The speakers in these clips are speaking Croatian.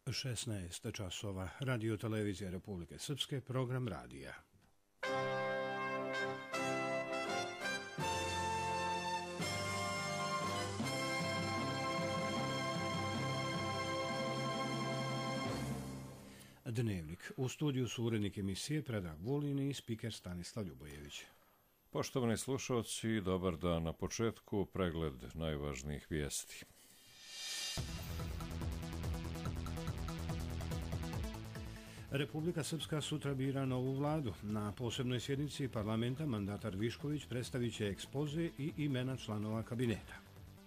16 časova. Radio televizija Republike Srpske, program radija. Dnevnik. U studiju su urednik emisije Predrag Vulin i spiker Stanislav Ljubojević. Poštovani slušalci, dobar dan. Na početku pregled najvažnijih vijesti. Republika Srpska sutra bira novu vladu. Na posebnoj sjednici parlamenta mandatar Višković predstavit će ekspoze i imena članova kabineta.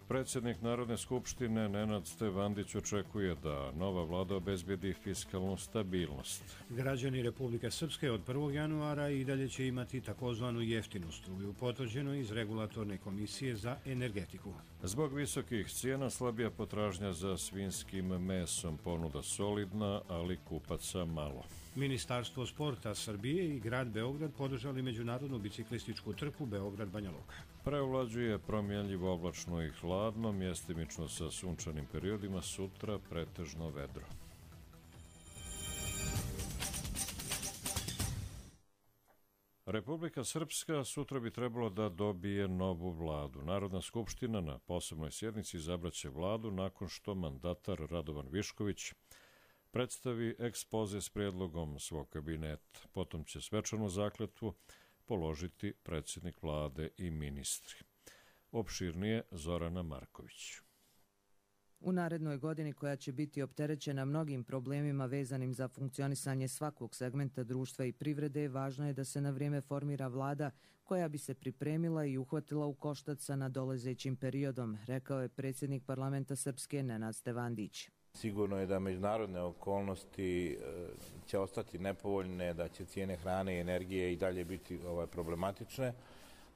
Predsjednik Narodne skupštine Nenad Stevandić očekuje da nova vlada obezbedi fiskalnu stabilnost. Građani Republike Srpske od 1. januara i dalje će imati takozvanu jeftinu struju, potvrđeno iz Regulatorne komisije za energetiku. Zbog visokih cijena slabija potražnja za svinjskim mesom, ponuda solidna, ali kupaca malo. Ministarstvo sporta Srbije i grad Beograd podržali međunarodnu biciklističku trku Beograd-Banja Luka. Prevlađuje promjenljivo oblačno i hladno, mjestimično sa sunčanim periodima, sutra pretežno vedro. Republika Srpska sutra bi trebalo da dobije novu vladu. Narodna skupština na posebnoj sjednici izabraće vladu nakon što mandatar Radovan Višković predstavi ekspoze s prijedlogom svog kabineta. Potom će svečanu zakletvu položiti predsjednik vlade i ministri. Opširnije Zorana Marković. U narednoj godini, koja će biti opterećena mnogim problemima vezanim za funkcionisanje svakog segmenta društva i privrede, važno je da se na vrijeme formira vlada koja bi se pripremila i uhvatila u koštac sa nadolazećim periodom, rekao je predsjednik parlamenta Srpske Nenad Stevandić. Sigurno je da međunarodne okolnosti će ostati nepovoljne, da će cijene hrane i energije i dalje biti problematične,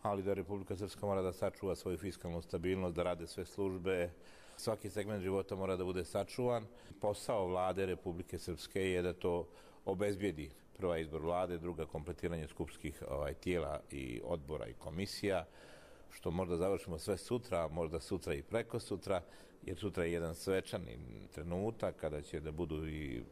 ali da Republika Srpska mora da sačuva svoju fiskalnu stabilnost, da rade sve službe, svaki segment života mora da bude sačuvan. Posao vlade Republike Srpske je da to obezbijedi. Prva izbor vlade, druga kompletiranje skupskih tijela i odbora i komisija, što možda završimo sve sutra, možda sutra i preko sutra, jer sutra je jedan svečani trenutak kada će da budu i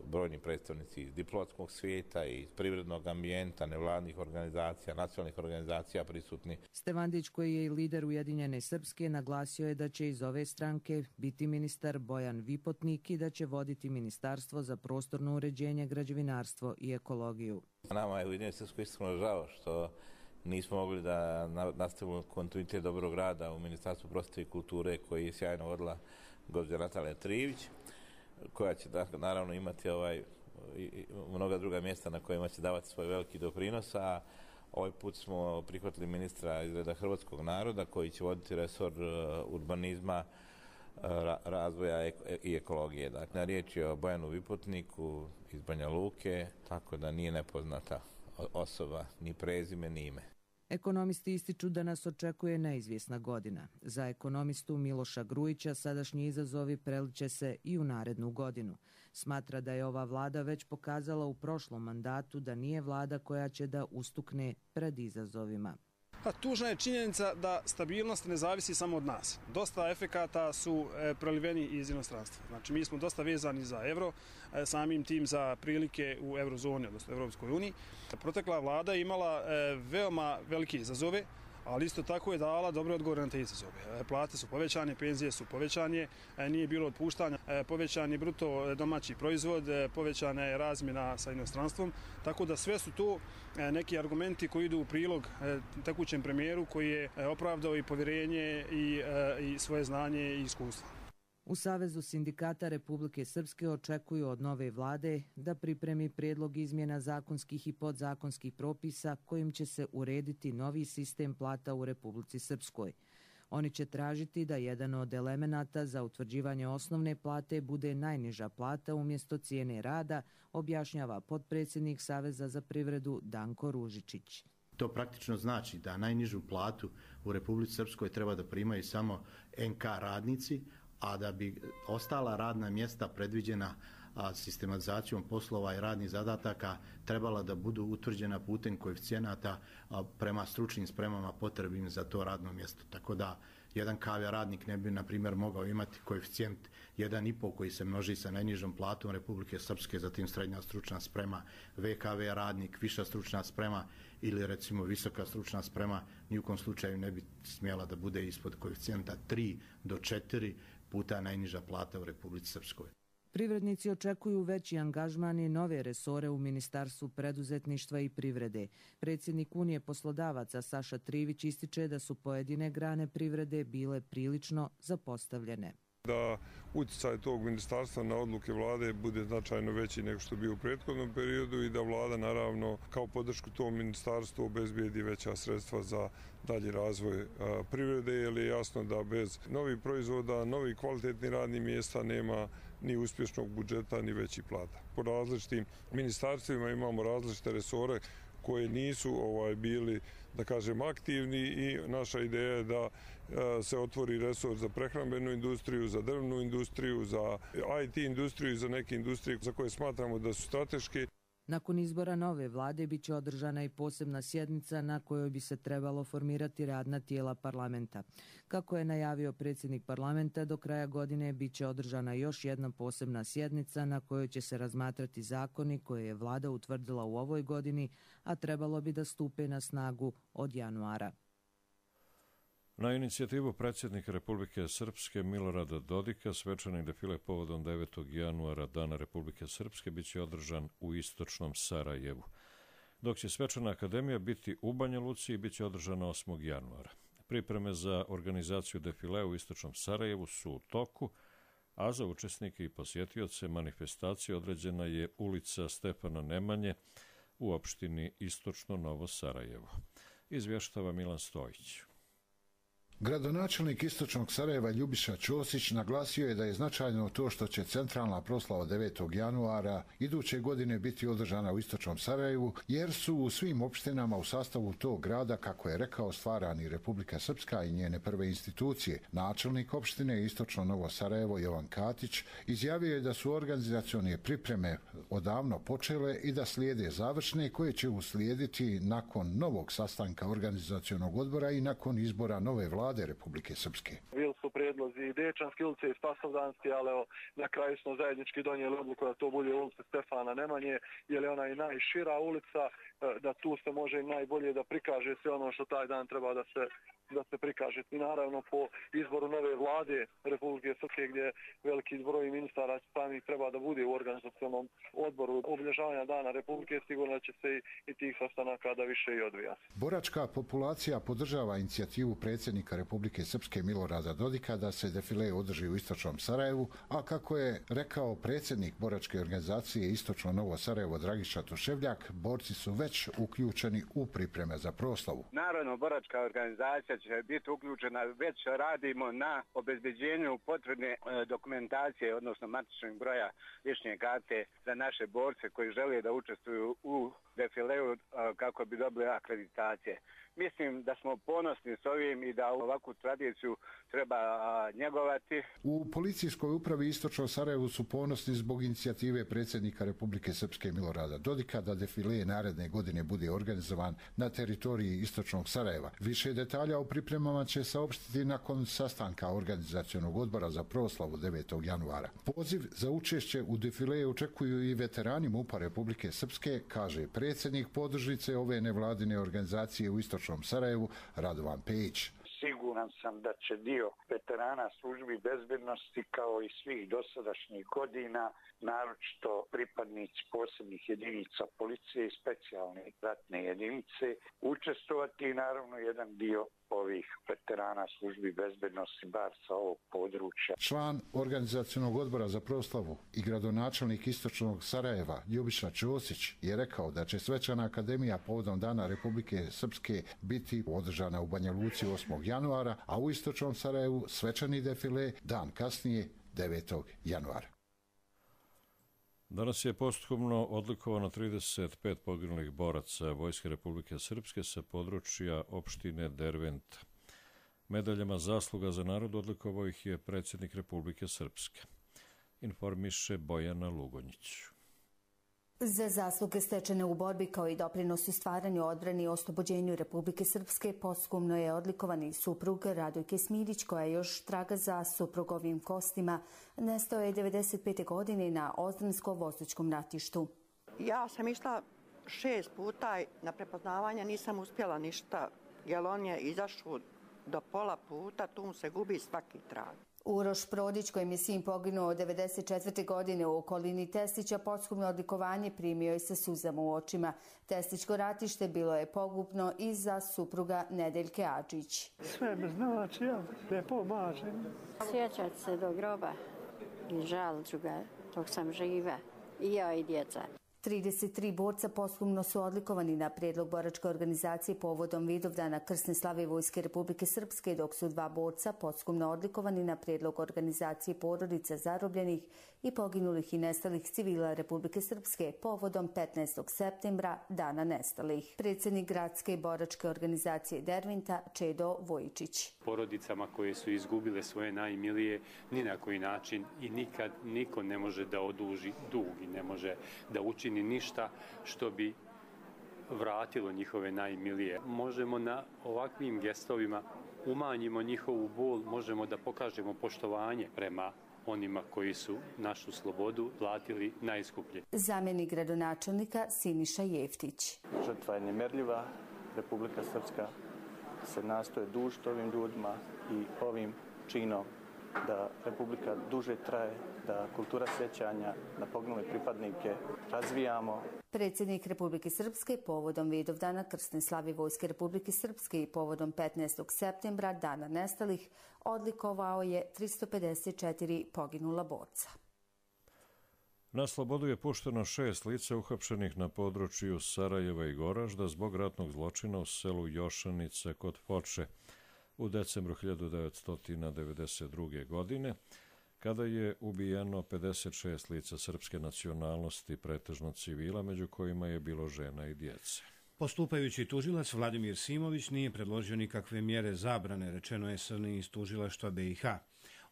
brojni predstavnici iz diplomatskog svijeta i iz privrednog ambijenta, nevladnih organizacija, nacionalnih organizacija prisutni. Stevandić, koji je i lider Ujedinjene Srpske, naglasio je da će iz ove stranke biti ministar Bojan Vipotnik i da će voditi Ministarstvo za prostorno uređenje, građevinarstvo i ekologiju. Nama je u Ujedinjenoj Srpskoj iskreno žao što nismo mogli da nastavimo kontinuitet dobrog rada u Ministarstvu prosvete i kulture koji je sjajno vodila gospođa Natalija Trivić, koja će naravno imati mnoga druga mjesta na kojima će davati svoj veliki doprinos, a ovaj put smo prihvatili ministra iz reda hrvatskog naroda koji će voditi resor urbanizma, razvoja i ekologije. Dakle, riječ je o Bojanu Vipotniku iz Banja Luke, tako da nije nepoznata osoba, ni prezime, ni ime. Ekonomisti ističu da nas očekuje neizvjesna godina. Za ekonomistu Miloša Grujića sadašnji izazovi preliče se i u narednu godinu. Smatra da je ova vlada već pokazala u prošlom mandatu da nije vlada koja će da ustukne pred izazovima. Tužna je činjenica da stabilnost ne zavisi samo od nas. Dosta efekata su preliveni iz inostranstva. Znači, mi smo dosta vezani za euro, samim tim za prilike u eurozoni, odnosno Europskoj uniji. Protekla vlada je imala veoma velike izazove, ali isto tako je dala dobre odgovore na te izazove. Plate su povećane, penzije su povećanje, nije bilo otpuštanja, povećan je bruto domaći proizvod, povećana je razmjena sa inostranstvom, tako da sve su to neki argumenti koji idu u prilog tekućem premijeru koji je opravdao i povjerenje i svoje znanje i iskustvo. U Savezu sindikata Republike Srpske očekuju od nove vlade da pripremi prijedlog izmjena zakonskih i podzakonskih propisa kojim će se urediti novi sistem plata u Republici Srpskoj. Oni će tražiti da jedan od elemenata za utvrđivanje osnovne plate bude najniža plata umjesto cijene rada, objašnjava potpredsjednik Saveza za privredu Danko Ružičić. To praktično znači da najnižu platu u Republici Srpskoj treba da primaju samo NK radnici, a da bi ostala radna mjesta predviđena sistematizacijom poslova i radnih zadataka trebala da budu utvrđena putem koeficijenata prema stručnim spremama potrebnim za to radno mjesto. Tako da jedan KV radnik ne bi, na primjer, mogao imati koeficijent 1,5 koji se množi sa najnižom platom Republike Srpske, zatim srednja stručna sprema, VKV radnik, viša stručna sprema ili recimo visoka stručna sprema, ni u kom slučaju ne bi smjela da bude ispod koeficijenta 3 do 4 puta najniža plata u Republici Srpskoj. Privrednici očekuju veći angažman i nove resore u Ministarstvu preduzetništva i privrede. Predsjednik Unije poslodavaca Saša Trivić ističe da su pojedine grane privrede bile prilično zapostavljene. Da utjecaj tog ministarstva na odluke vlade bude značajno veći nego što je bio u prethodnom periodu i da vlada naravno kao podršku tom ministarstvu obezbijedi veća sredstva za dalji razvoj privrede, jer je jasno da bez novih proizvoda, novih kvalitetnih radnih mjesta nema ni uspješnog budžeta ni većih plata. Po različitim ministarstvima imamo različite resore koje nisu bili, da kažem, aktivni i naša ideja je da se otvori resor za prehrambenu industriju, za drvnu industriju, za IT industriju i za neke industrije za koje smatramo da su strateške. Nakon izbora nove vlade biće održana i posebna sjednica na kojoj bi se trebalo formirati radna tijela parlamenta. Kako je najavio predsjednik parlamenta, do kraja godine biće održana još jedna posebna sjednica na kojoj će se razmatrati zakoni koje je vlada utvrdila u ovoj godini, a trebalo bi da stupe na snagu od januara. Na inicijativu predsjednika Republike Srpske Milorada Dodika svečani defile povodom 9. januara Dana Republike Srpske biće održan u istočnom Sarajevu, dok će svečana akademija biti u Banja Luci i biće održana 8. januara. Pripreme za organizaciju defilea u istočnom Sarajevu su u toku, a za učesnike i posjetioce manifestacije određena je ulica Stefana Nemanje u opštini Istočno Novo Sarajevo. Izvještava Milan Stojić. Gradonačelnik Istočnog Sarajeva Ljubiša Ćosić naglasio je da je značajno to što će centralna proslava 9. januara iduće godine biti održana u Istočnom Sarajevu, jer su u svim opštinama u sastavu tog grada, kako je rekao, stvarani Republika Srpska i njene prve institucije. Načelnik opštine Istočno Novo Sarajevo Jovan Katić izjavio je da su organizacione pripreme odavno počele i da slijede završne koje će uslijediti nakon novog sastanka organizacionog odbora i nakon izbora nove vlade Republike Srpske. Bili su prijedlozi i Dečanske ulice i Spasovdanske, ali na kraju smo zajednički donijeli odluku da to bude ulica Stefana Nemanje, jer je ona i najšira ulica, da tu se može najbolje da prikaže sve ono što taj dan treba da se prikaže. I naravno po izboru nove vlade Republike Srpske, gdje veliki broj ministara samih treba da bude u organizacionom odboru obilježavanja Dana Republike, sigurno će se i tih sastanaka da više i odvijati. Boračka populacija podržava inicijativu predsjednika Republike Srpske Milorada Dodika da se defile održi u Istočnom Sarajevu, a kako je rekao predsjednik boračke organizacije Istočno Novo Sarajevo Dragiša Tuševljak, borci su već uključeni u pripreme za proslavu. Naravno, boračka organizacija će biti uključena, već radimo na obezbeđenju potrebne dokumentacije, odnosno matičnog broja lične karte za naše borce koji žele da učestvuju u defileu kako bi dobili akreditacije. Mislim da smo ponosni s ovim i da ovakvu tradiciju treba njegovati. U policijskoj upravi Istočno Sarajevu su ponosni zbog inicijative predsjednika Republike Srpske Milorada Dodika da defile naredne godine bude organizovan na teritoriji Istočnog Sarajeva. Više detalja o pripremama će saopštiti nakon sastanka organizacionog odbora za proslavu 9. januara. Poziv za učešće u defile očekuju i veterani MUP-a Republike Srpske, kaže predsjednik podružnice ove nevladine organizacije u Istočnom Sarajevu Radovan Pejić. Siguran sam da će dio veterana službi bezbednosti kao i svih dosadašnjih godina, naročito pripadnici posebnih jedinica policije i specijalne ratne jedinice, učestvovati i naravno jedan dio ovih veterana službi bezbednosti bar sa ovog područja. Član organizacionog odbora za proslavu i gradonačelnik Istočnog Sarajeva Ljubiša Ćosić je rekao da će svečana akademija povodom Dana Republike Srpske biti održana u Banja Luci 8. januara, a u Istočnom Sarajevu svečani defile dan kasnije 9. januara. Danas je posthumno odlikovano 35 poginulih boraca Vojske Republike Srpske sa područja opštine Derventa. Medaljama zasluga za narod odlikovao ih je predsjednik Republike Srpske. Informiše Bojana Lugonjić. Za zasluge stečene u borbi kao i doprinos u stvaranju, odbrani i oslobođenju Republike Srpske posthumno je odlikovan i suprug Radojke Smidić, koja još traga za suprugovim kostima. Nestao je 95. godine na Ozdranskom-Vostočkom ratištu. Ja sam išla 6 puta na prepoznavanje, nisam uspjela ništa, jer on je izašao do pola puta, tu mu se gubi svaki trag. Uroš Prodić, kojim je sin poginuo od 94. godine u okolini Testića, posthumno odlikovanje primio je sa suzama u očima. Testićko ratište bilo je pogubno i za supruga Nedeljke Adžić. Sve me znači, ja ne pomažem. Sjećati se do groba i žal ću ga dok sam živa, i ja i djeca. 33 borca posthumno su odlikovani na prijedlog boračke organizacije povodom Vidovdana krsne slave Vojske Republike Srpske, dok su 2 borca posthumno odlikovani na prijedlog organizacije porodica zarobljenih i poginulih i nestalih civila Republike Srpske povodom 15. septembra, Dana nestalih. Predsjednik gradske boračke organizacije Dervinta, Čedo Vojičić. Porodicama koje su izgubile svoje najmilije, ni na koji način i nikad niko ne može da oduži dug i ne može da učini ništa što bi vratilo njihove najmilije. Možemo na ovakvim gestovima umanjimo njihovu bol, možemo da pokažemo poštovanje prema onima koji su našu slobodu platili najskuplje. Zamjenik gradonačelnika Siniša Jeftić. Žrtva je nemerljiva. Republika Srpska se nastoje dužiti ovim ljudima i ovim činom da Republika duže traje, da kultura sjećanja na poginule pripadnike razvijamo. Predsjednik Republike Srpske povodom Vidovdana krsne slave Vojske Republike Srpske i povodom 15. septembra, Dana nestalih, odlikovao je 354 poginula borca. Na slobodu je pušteno 6 lica uhapšenih na području Sarajeva i Goražda zbog ratnog zločina u selu Jošanice kod Foče u decembru 1992. godine, kada je ubijeno 56 lica srpske nacionalnosti, pretežno civila, među kojima je bilo žena i djece. Postupajući tužilac Vladimir Simović nije predložio nikakve mjere zabrane, rečeno je SNI iz tužilaštva BiH.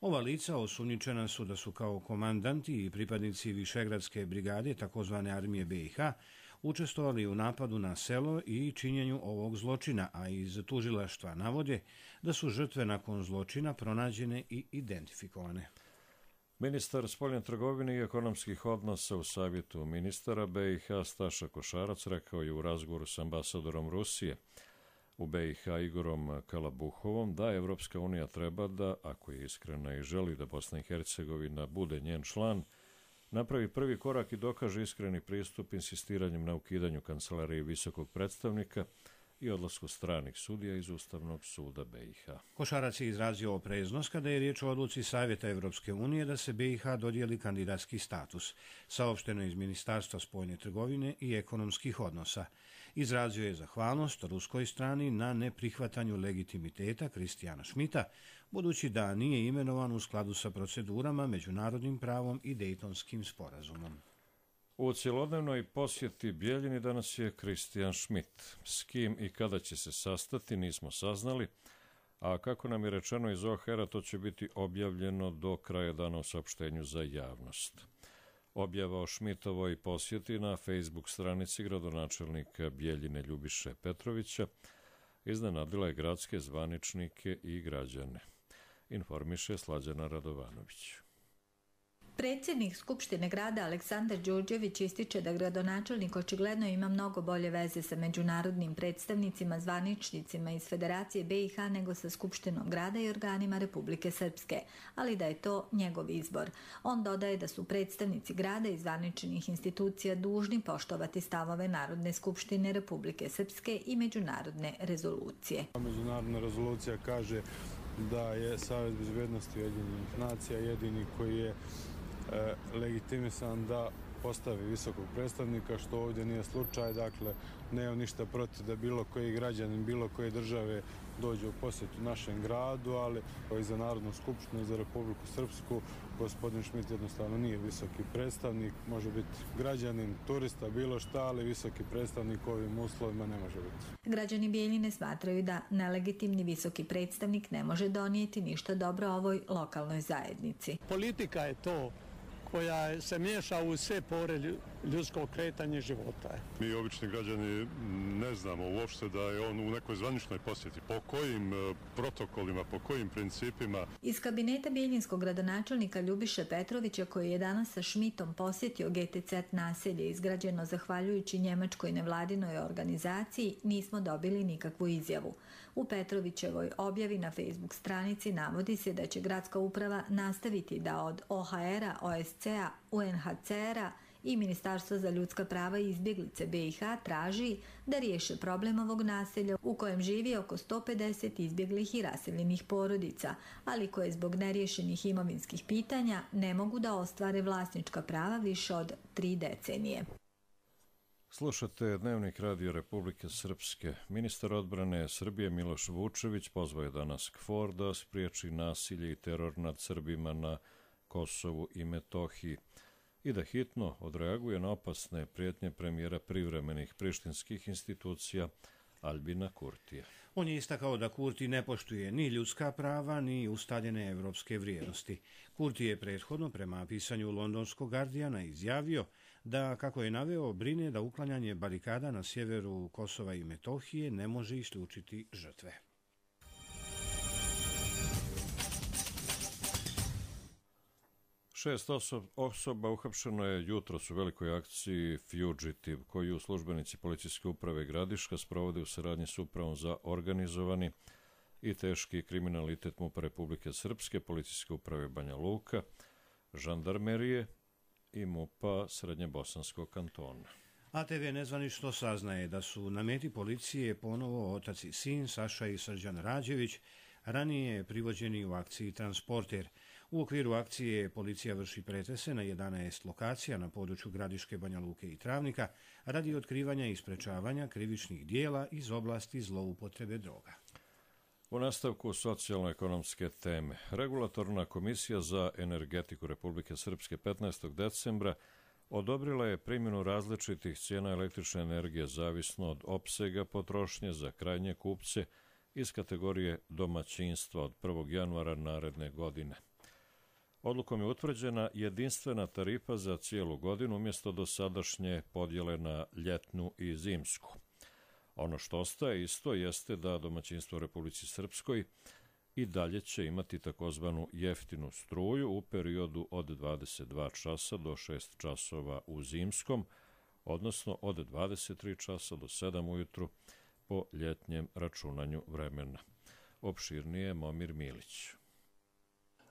Ova lica osumnjičena su da su kao komandanti i pripadnici Višegradske brigade, takozvane armije BiH, učestvovali u napadu na selo i činjenju ovog zločina, a iz tužilaštva navode da su žrtve nakon zločina pronađene i identifikovane. Ministar spoljne trgovine i ekonomskih odnosa u Savjetu ministara BiH Staša Košarac rekao je u razgovoru s ambasadorom Rusije u BiH Igorom Kalabuhovom da Evropska unija treba da, ako je iskrena i želi da Bosna i Hercegovina bude njen član, napravi prvi korak i dokaže iskreni pristup insistiranjem na ukidanju kancelarije visokog predstavnika i odlasku stranih sudija iz Ustavnog suda BiH. Košarac je izrazio opreznost kada je riječ o odluci Savjeta Evropske unije da se BiH dodijeli kandidatski status, saopšteno iz Ministarstva spoljne trgovine i ekonomskih odnosa. Izrazio je zahvalnost ruskoj strani na neprihvatanju legitimiteta Kristijana Šmita, budući da nije imenovan u skladu sa procedurama, međunarodnim pravom i Dejtonskim sporazumom. U cjelodnevnoj posjeti Bijeljini danas je Kristijan Šmit. S kim i kada će se sastati nismo saznali, a kako nam je rečeno iz OHR-a, to će biti objavljeno do kraja dana u saopštenju za javnost. Objava o Šmitovoj posjeti na Facebook stranici gradonačelnika Bijeljine Ljubiše Petrovića iznenadila je gradske zvaničnike i građane. Informiše Slađana Radovanović. Predsjednik Skupštine grada Aleksandar Đurđević ističe da gradonačelnik očigledno ima mnogo bolje veze sa međunarodnim predstavnicima, zvaničnicima iz Federacije BiH nego sa Skupštinom grada i organima Republike Srpske, ali da je to njegov izbor. On dodaje da su predstavnici grada i zvaničnih institucija dužni poštovati stavove Narodne skupštine Republike Srpske i međunarodne rezolucije. Međunarodna rezolucija kaže da je Savet bezbednosti Ujedinjenih nacija jedini koji je legitimisan da postavi visokog predstavnika, što ovdje nije slučaj. Dakle, nemam ništa protiv da bilo koji građanin, bilo koje države dođe u posjetu našem gradu, ali i za Narodnu skupštinu i za Republiku Srpsku gospodin Šmit jednostavno nije visoki predstavnik, može biti građanin, turista, bilo šta, ali visoki predstavnik u ovim uslovima ne može biti. Građani Bijeljine smatraju da nelegitimni visoki predstavnik ne može donijeti ništa dobro ovoj lokalnoj zajednici. Politika je to koja se miješa u sve pore ljudsko kretanje života. Mi obični građani ne znamo uopšte da je on u nekoj zvaničnoj posjeti. Po kojim protokolima, po kojim principima? Iz kabineta bijeljinskog gradonačelnika Ljubiše Petrovića, koji je danas sa Šmitom posjetio GTZ naselje izgrađeno zahvaljujući njemačkoj nevladinoj organizaciji, nismo dobili nikakvu izjavu. U Petrovićevoj objavi na Facebook stranici navodi se da će gradska uprava nastaviti da od OHR-a, OSCE-a, UNHCR-a i Ministarstva za ljudska prava i izbjeglice BiH traži da riješe problem ovog naselja u kojem živi oko 150 izbjeglih i raseljenih porodica, ali koje zbog neriješenih imovinskih pitanja ne mogu da ostvare vlasnička prava više od 3 decenije. Slušate Dnevnik Radio Republike Srpske. Ministar odbrane Srbije Miloš Vučević pozvao je danas KFOR da spriječi nasilje i teror nad Srbima na Kosovu i Metohiji i da hitno odreaguje na opasne prijetnje premijera privremenih prištinskih institucija Albina Kurtija. On je istakao da Kurti ne poštuje ni ljudska prava, ni ustaljene evropske vrijednosti. Kurti je prethodno, prema pisanju londonskog Guardiana, izjavio da, kako je naveo, brine da uklanjanje barikada na sjeveru Kosova i Metohije ne može isključiti žrtve. Šest osoba uhapšeno je jutros u velikoj akciji Fugitive, koju službenici policijske uprave Gradiška sprovode u saradnji s upravom za organizovani i teški kriminalitet MUP Republike Srpske, policijske uprave Banja Luka, žandarmerije i MUP-a Srednjebosanskog kantona. ATV nezvanično saznaje da su na meti policije ponovo otac i sin Saša i Srđan Rađević, ranije privođeni u akciji Transporter. U okviru akcije policija vrši pretrese na 11 lokacija na području Gradiške, Banja Luke i Travnika radi otkrivanja i sprečavanja krivičnih dijela iz oblasti zloupotrebe droga. U nastavku socijalno-ekonomske teme, Regulatorna komisija za energetiku Republike Srpske 15. decembra odobrila je primjenu različitih cijena električne energije zavisno od opsega potrošnje za krajnje kupce iz kategorije domaćinstva od 1. januara naredne godine. Odlukom je utvrđena jedinstvena tarifa za cijelu godinu umjesto dosadašnje podjele na ljetnu i zimsku. Ono što ostaje isto jeste da domaćinstvo u Republici Srpskoj i dalje će imati takozvanu jeftinu struju u periodu od 22 časa do 6 časova u zimskom, odnosno od 23 časa do 7 ujutru po ljetnjem računanju vremena. Opširnije Momir Milić.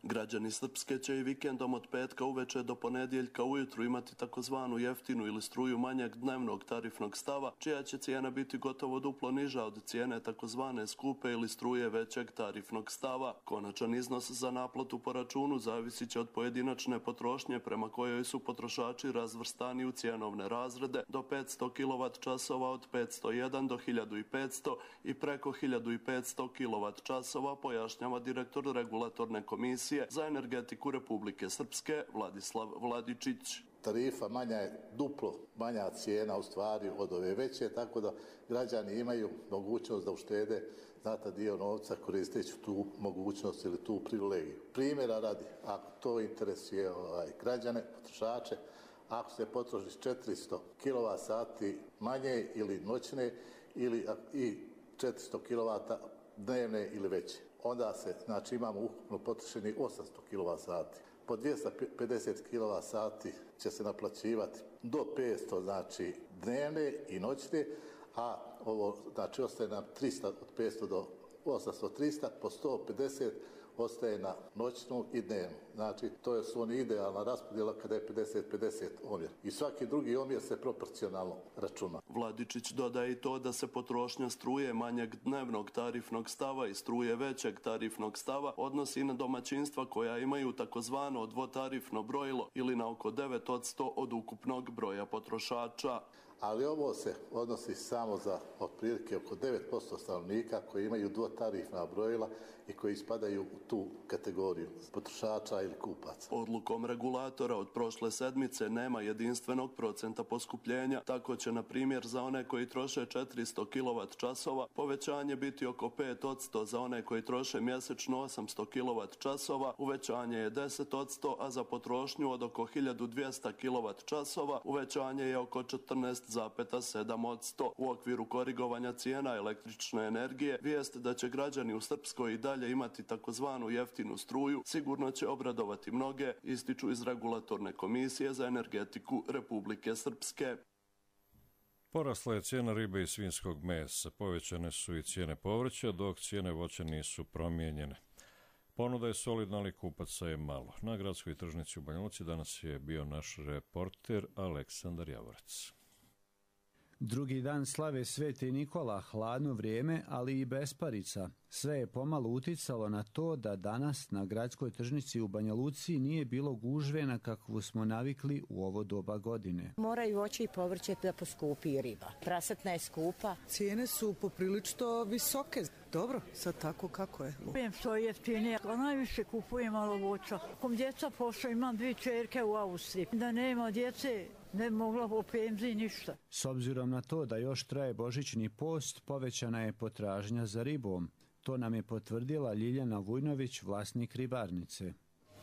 Građani Srpske će i vikendom od petka uveče do ponedjeljka ujutru imati takozvanu jeftinu ili struju manjeg dnevnog tarifnog stava, čija će cijena biti gotovo duplo niža od cijene takozvane skupe ili struje većeg tarifnog stava. Konačan iznos za naplatu po računu zavisit će od pojedinačne potrošnje prema kojoj su potrošači razvrstani u cijenovne razrede do 500 kWh od 501 do 1500 i preko 1500 kWh, pojašnjava direktor Regulatorne komisije za energetiku Republike Srpske Vladislav Vladičić. Tarifa manja je duplo manja cijena u stvari od ove veće, tako da građani imaju mogućnost da uštede znatan dio novca koristeći tu mogućnost ili tu privilegiju. Primjera radi, ako to interesuje građane, potrošače, ako se potroši 400 kWh manje ili noćne ili i 400 kW dnevne ili veće, onda se, znači, imamo ukupno potrošeni 800 kWh. Po 250 kWh će se naplaćivati do 500, znači, dnevne i noćne, a ovo, znači, ostaje nam 300, od 500 do 800, 300, po 150 ostaje na noćnu i dnevnu. Znači, to je su oni idealna raspodjela kada je 50-50 omjer. I svaki drugi omjer se proporcionalno računa. Vladičić dodaje i to da se potrošnja struje manjeg dnevnog tarifnog stava i struje većeg tarifnog stava odnosi na domaćinstva koja imaju takozvano dvotarifno brojilo ili na oko 9% od ukupnog broja potrošača. Ali ovo se odnosi samo za otprilike oko 9% stanovnika koji imaju dvotarifna brojila i koji spadaju u tu kategoriju potrošača ili kupaca. Odlukom regulatora od prošle sedmice nema jedinstvenog procenta poskupljenja, tako će na primjer za one koji troše 400 kWh povećanje biti oko 5%, za one koji troše mjesečno 800 kWh uvećanje je 10%, a za potrošnju od oko 1200 kWh uvećanje je oko 14,7%. U okviru korigovanja cijena električne energije, vijest da će građani u Srpskoj i dalje imati takozvanu jeftinu struju sigurno će obradovati mnoge, ističu iz Regulatorne komisije za energetiku Republike Srpske. Porasla je cijena ribe i svinjskog mesa, povećane su i cijene povrća, dok cijene voća nisu promijenjene. Ponuda je solidna, ali kupaca je malo. Na gradskoj tržnici u Banja Luci danas je bio naš reporter Aleksandar Javorac. Drugi dan slave Sveti Nikola, hladno vrijeme, ali i besparica. Sve je pomalo uticalo na to da danas na gradskoj tržnici u Banja Luci nije bilo gužve na kakvu smo navikli u ovo doba godine. Moraju voće i povrće da poskupi i riba. Prasatna je skupa. Cijene su poprilično visoke. Dobro, sad tako kako je. Kupujem što je jeftinije, a najviše kupujem malo voća. Kom djeca pošla, imam 2 čerke u Austriji. Da nema djece, ne bi mogla po penziji ništa. S obzirom na to da još traje božićni post, povećana je potražnja za ribom. To nam je potvrdila Ljiljana Vujnović, vlasnik ribarnice.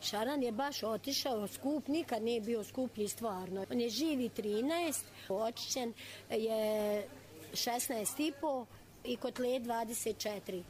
Šaran je baš otišao skup, nikad nije bio skuplji stvarno. On je živi 13, očišćen je 16,5 i kotled 24.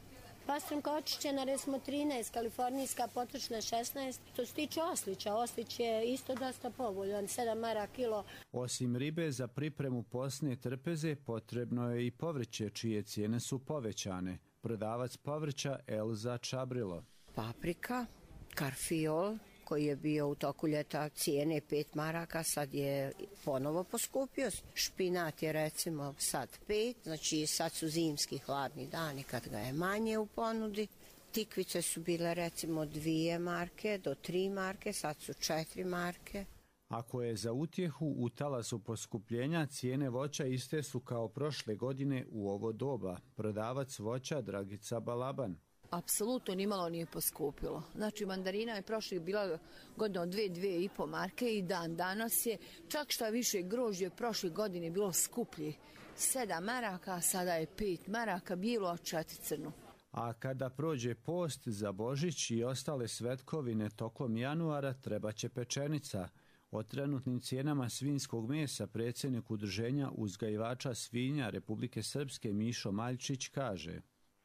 Pastramka očišćena recimo 13, kalifornijska potrošna 16. To se tiče oslića, oslić je isto dosta povoljan, 7 maraka kilo. Osim ribe za pripremu posne trpeze potrebno je i povrće čije cijene su povećane. Prodavac povrća Elza Čabrilo. Paprika, karfiol koji je bio u toku ljeta cijene 5 maraka, sad je ponovo poskupio. Špinat je recimo sad 5, znači sad su zimski hladni dani kad ga je manje u ponudi. Tikvice su bile recimo 2 marke do 3 marke, sad su 4 marke. Ako je za utjehu u talasu poskupljenja, cijene voća iste su kao prošle godine u ovo doba. Prodavac voća Dragica Balaban. Apsolutno nimalo nije poskupilo. Znači mandarina je prošle bila godina od 2,5 marke i dan danas je, čak šta više grožđe prošle godine bilo skuplje. 7 maraka, sada je 5 maraka, bilo a 4 crno. A kada prođe post za Božić i ostale svetkovine tokom januara, treba će pečenica. O trenutnim cijenama svinjskog mesa predsjednik Udruženja uzgajivača svinja Republike Srpske Mišo Maljčić kaže: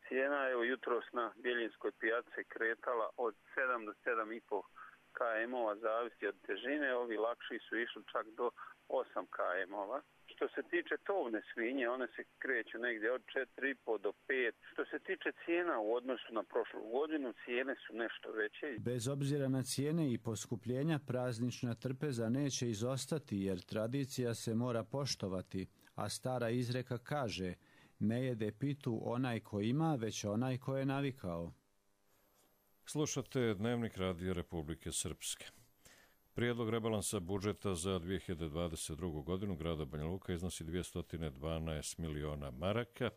Cijena je jutros na Bjeljinskoj pijaci kretala od 7 do 7,5 km-ova, zavisi od težine. Ovi lakši su išli čak do 8 km-ova. Što se tiče tovne svinje, one se kreću negdje od 4,5 do 5. Što se tiče cijena u odnosu na prošlu godinu, cijene su nešto veće. Bez obzira na cijene i poskupljenja, praznična trpeza neće izostati jer tradicija se mora poštovati, a stara izreka kaže: ne jede pitu onaj ko ima, već onaj ko je navikao. Slušate Dnevnik Radija Republike Srpske. Prijedlog rebalansa budžeta za 2022. godinu grada Banja Luka iznosi 212 miliona maraka,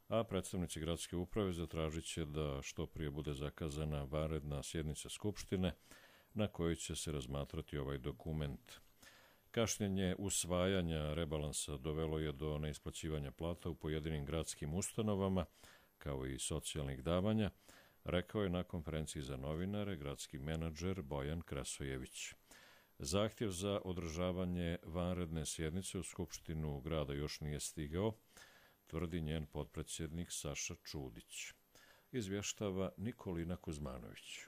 a predstavnici gradske uprave zatražit će da što prije bude zakazana vanredna sjednica Skupštine na kojoj će se razmatrati ovaj dokument. Kašnjenje usvajanja rebalansa dovelo je do neisplaćivanja plata u pojedinim gradskim ustanovama, kao i socijalnih davanja, rekao je na konferenciji za novinare gradski menadžer Bojan Krasojević. Zahtjev za održavanje vanredne sjednice u Skupštinu grada još nije stigao, tvrdi njen potpredsjednik Saša Čudić. Izvještava Nikolina Kuzmanović.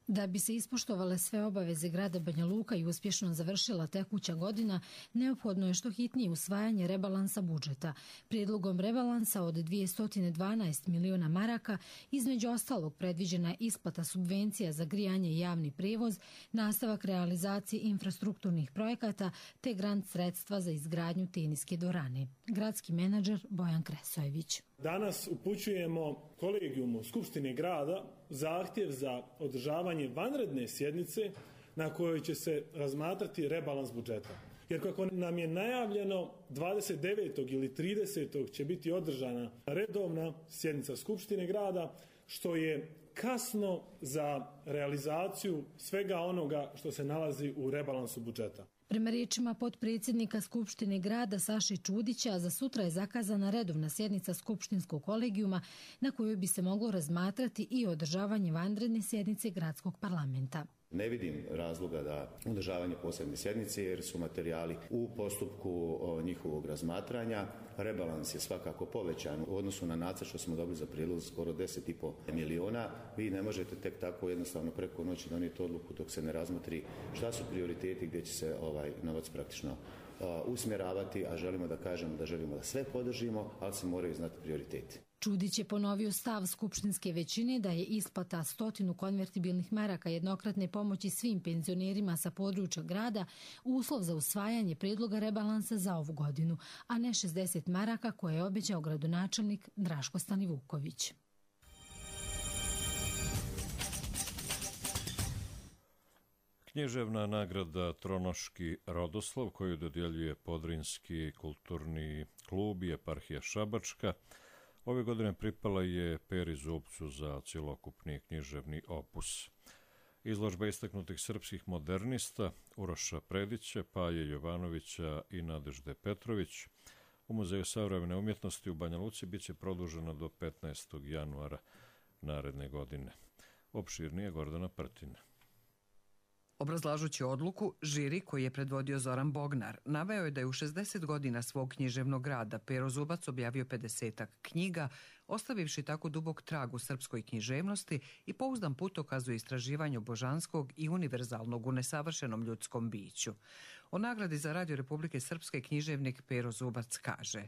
Da bi se ispoštovale sve obaveze grada Banja Luka i uspješno završila tekuća godina, neophodno je što hitnije usvajanje rebalansa budžeta. Prijedlogom rebalansa od 212 miliona maraka, između ostalog predviđena je isplata subvencija za grijanje i javni prijevoz, nastavak realizacije infrastrukturnih projekata te grant sredstva za izgradnju teniske dvorane. Gradski menadžer Bojan Kresojević. Danas upućujemo kolegijumu Skupštine grada zahtjev za održavanje vanredne sjednice na kojoj će se razmatrati rebalans budžeta. Jer kako nam je najavljeno 29. ili 30. će biti održana redovna sjednica Skupštine grada, što je kasno za realizaciju svega onoga što se nalazi u rebalansu budžeta. Prema riječima potpredsjednika Skupštine grada Saše Čudića, za sutra je zakazana redovna sjednica Skupštinskog kolegijuma na kojoj bi se moglo razmatrati i održavanje vanredne sjednice gradskog parlamenta. Ne vidim razloga da održavanje posebne sjednice jer su materijali u postupku njihovog razmatranja. Rebalans je svakako povećan u odnosu na nacrt što smo dobili za prijedlog skoro 10,5 miliona. Vi ne možete tek tako jednostavno preko noći donijeti odluku dok se ne razmotri šta su prioriteti gdje će se novac praktično usmjeravati, a želimo da kažemo da želimo da sve podržimo, ali se moraju znati prioriteti. Čudić je ponovio stav skupštinske većine da je isplata 100 konvertibilnih maraka jednokratne pomoći svim penzionerima sa područja grada uslov za usvajanje predloga rebalansa za ovu godinu, a ne 60 maraka koje je obećao gradonačelnik Draško Stanivuković. Književna nagrada Tronoški Rodoslav koju dodjeljuje Podrinski kulturni klub i eparhija Šabačka ove godine pripala je Peri Zupcu za cjelokupni književni opus. Izložba istaknutih srpskih modernista Uroša Predića, Paje Jovanovića i Nadežde Petrović u Muzeju savremene umjetnosti u Banja Luci biće produžena do 15. januara naredne godine. Opširnije Gordana Prtina. Obrazlažući odluku, žiri koji je predvodio Zoran Bognar naveo je da je u 60 godina svog književnog rada Pero Zubac objavio 50-ak knjiga, ostavivši tako dubok trag u srpskoj književnosti i pouzdan putokaz u istraživanju božanskog i univerzalnog u nesavršenom ljudskom biću. O nagradi za Radio Republike Srpske književnik Pero Zubac kaže: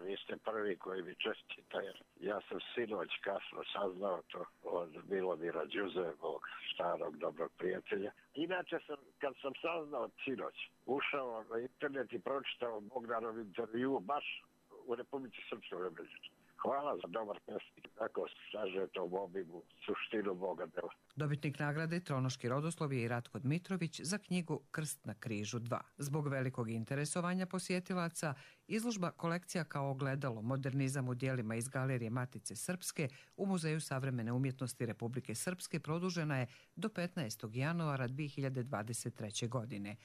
Vi ste prvi koji mi čestita, jer ja sam sinoć kasno saznao to od Milomira Đuzevog, starog dobrog prijatelja. Inače kad sam saznao sinoć, ušao na internet i pročitao Bognarov intervju baš u Republici Srpskoj Rebeđicu. Hvala za dobar pesnik, tako saže to u obimu suštinu Boga dela. Dobitnik nagrade Tronoški Rodoslav je i Ratko Dmitrović za knjigu Krst na križu 2. Zbog velikog interesovanja posjetilaca, izložba Kolekcija kao ogledalo modernizam u dijelima iz Galerije Matice Srpske u Muzeju savremene umjetnosti Republike Srpske produžena je do 15. januara 2023. godine.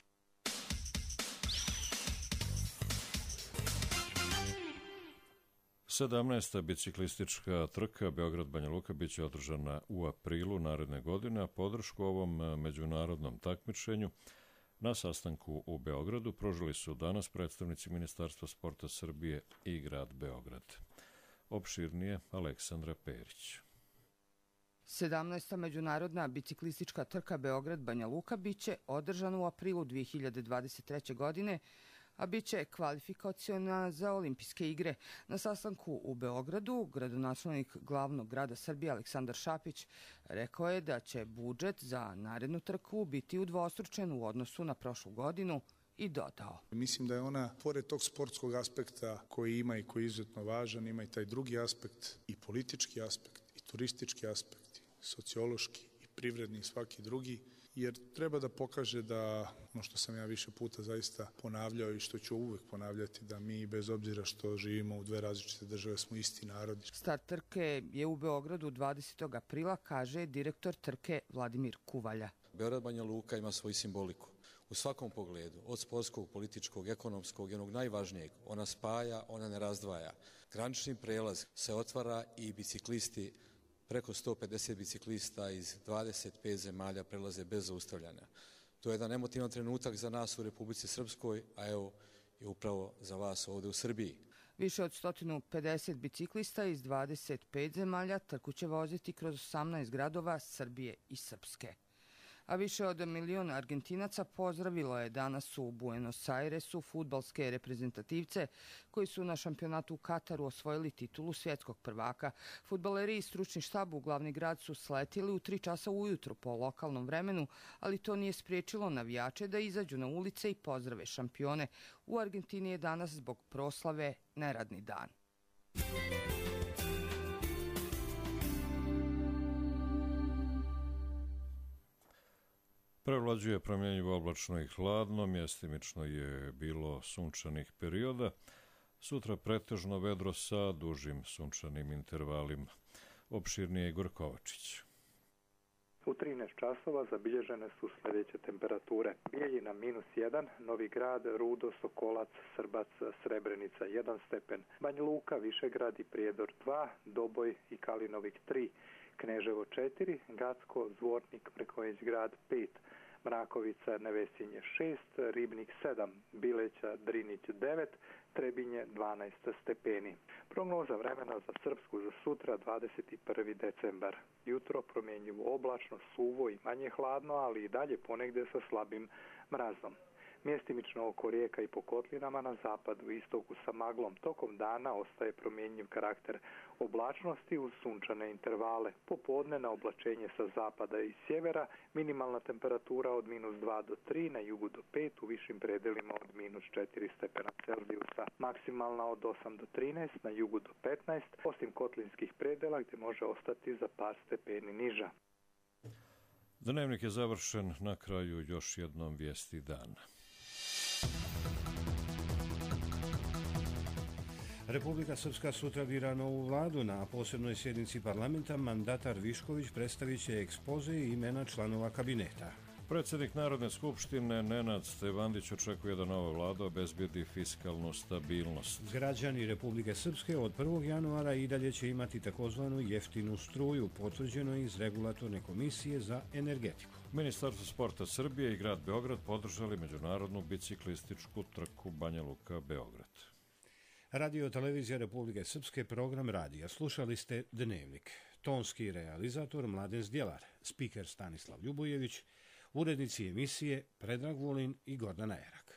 Sedamnaesta biciklistička trka Beograd-Banja Luka biće održana u aprilu naredne godine, a podršku ovom međunarodnom takmičenju na sastanku u Beogradu pružili su danas predstavnici Ministarstva sporta Srbije i grad Beograd. Opširnije Aleksandra Perić. 17. međunarodna biciklistička trka Beograd-Banja Luka biće održana u aprilu 2023. godine, a bit će kvalifikaciona za olimpijske igre. Na sastanku u Beogradu, gradonačelnik glavnog grada Srbije Aleksandar Šapić rekao je da će budžet za narednu trku biti udvostručen u odnosu na prošlu godinu i dodao: Mislim da je ona, pored tog sportskog aspekta koji ima i koji je izuzetno važan, ima i taj drugi aspekt, i politički aspekt, i turistički aspekt, i sociološki, i privredni, i svaki drugi, jer treba da pokaže da, ono što sam ja više puta zaista ponavljao i što ću uvijek ponavljati, da mi bez obzira što živimo u dve različite države smo isti narodi. Start trke je u Beogradu 20. aprila, kaže direktor trke Vladimir Kuvalja. Beograd-Banja Luka ima svoju simboliku. U svakom pogledu, od sportskog, političkog, ekonomskog i onog najvažnijeg, ona spaja, ona ne razdvaja. Granični prelaz se otvara i biciklisti, preko 150 biciklista iz 25 zemalja prelaze bez zaustavljanja. To je jedan emotivan trenutak za nas u Republici Srpskoj, a evo i upravo za vas ovdje u Srbiji. Više od 150 biciklista iz 25 zemalja trku će voziti kroz 18 gradova Srbije i Srpske. A više od 1 milion Argentinaca pozdravilo je danas u Buenos Airesu fudbalske reprezentativce koji su na šampionatu u Kataru osvojili titulu svjetskog prvaka. Fudbaleri i stručni štab u glavni grad su sletili u 3 časa ujutro po lokalnom vremenu, ali to nije spriječilo navijače da izađu na ulice i pozdrave šampione. U Argentini je danas zbog proslave neradni dan. Prevlađuje promjenjivo oblačno i hladno, mjestimično je bilo sunčanih perioda. Sutra pretežno vedro sa dužim sunčanim intervalima. Opširnije Igor Kovačić. U 13 časova zabilježene su sljedeće temperature. Bijeljina -1, Novi Grad, Rudo, Sokolac, Srbac, Srebrenica 1 stepen, Banja Luka, Višegrad i Prijedor 2, Doboj i Kalinovik 3, Kneževo 4, Gacko, Zvornik, Mrkonjić Grad 5, Mrakovica, Nevesinje 6, Ribnik 7, Bileća, Drinić 9, Trebinje 12 stepeni. Prognoza vremena za Srpsku za sutra 21. decembar. Jutro promjenjivo oblačno, suvo i manje hladno, ali i dalje ponegdje sa slabim mrazom. Mjestimično oko rijeka i po kotlinama na zapadu i istoku sa maglom. Tokom dana ostaje promjenjiv karakter oblačnosti uz sunčane intervale. Popodne na oblačenje sa zapada i sjevera, minimalna temperatura od -2 do 3, na jugu do 5, u višim predelima od -4 stepena Celzijusa. Maksimalna od 8 do 13, na jugu do 15, osim kotlinskih predela gdje može ostati za par stepeni niža. Dnevnik je završen, na kraju još jednom vijesti dana. Republika Srpska sutra bira novu vladu. Na posebnoj sjednici parlamenta mandatar Višković predstavit će ekspoze i imena članova kabineta. Predsjednik Narodne skupštine Nenad Stevandić očekuje da nova vlada obezbijedi fiskalnu stabilnost. Građani Republike Srpske od 1. januara i dalje će imati takozvanu jeftinu struju, potvrđeno iz Regulatorne komisije za energetiku. Ministarstvo sporta Srbije i grad Beograd podržali međunarodnu biciklističku trku Banja Luka-Beograd. Radio televizija Republike Srpske, program radija. Slušali ste Dnevnik. Tonski realizator Mladen Zdjelar, spiker Stanislav Ljubojević, urednici emisije Predrag Vulin i Gordana Erak.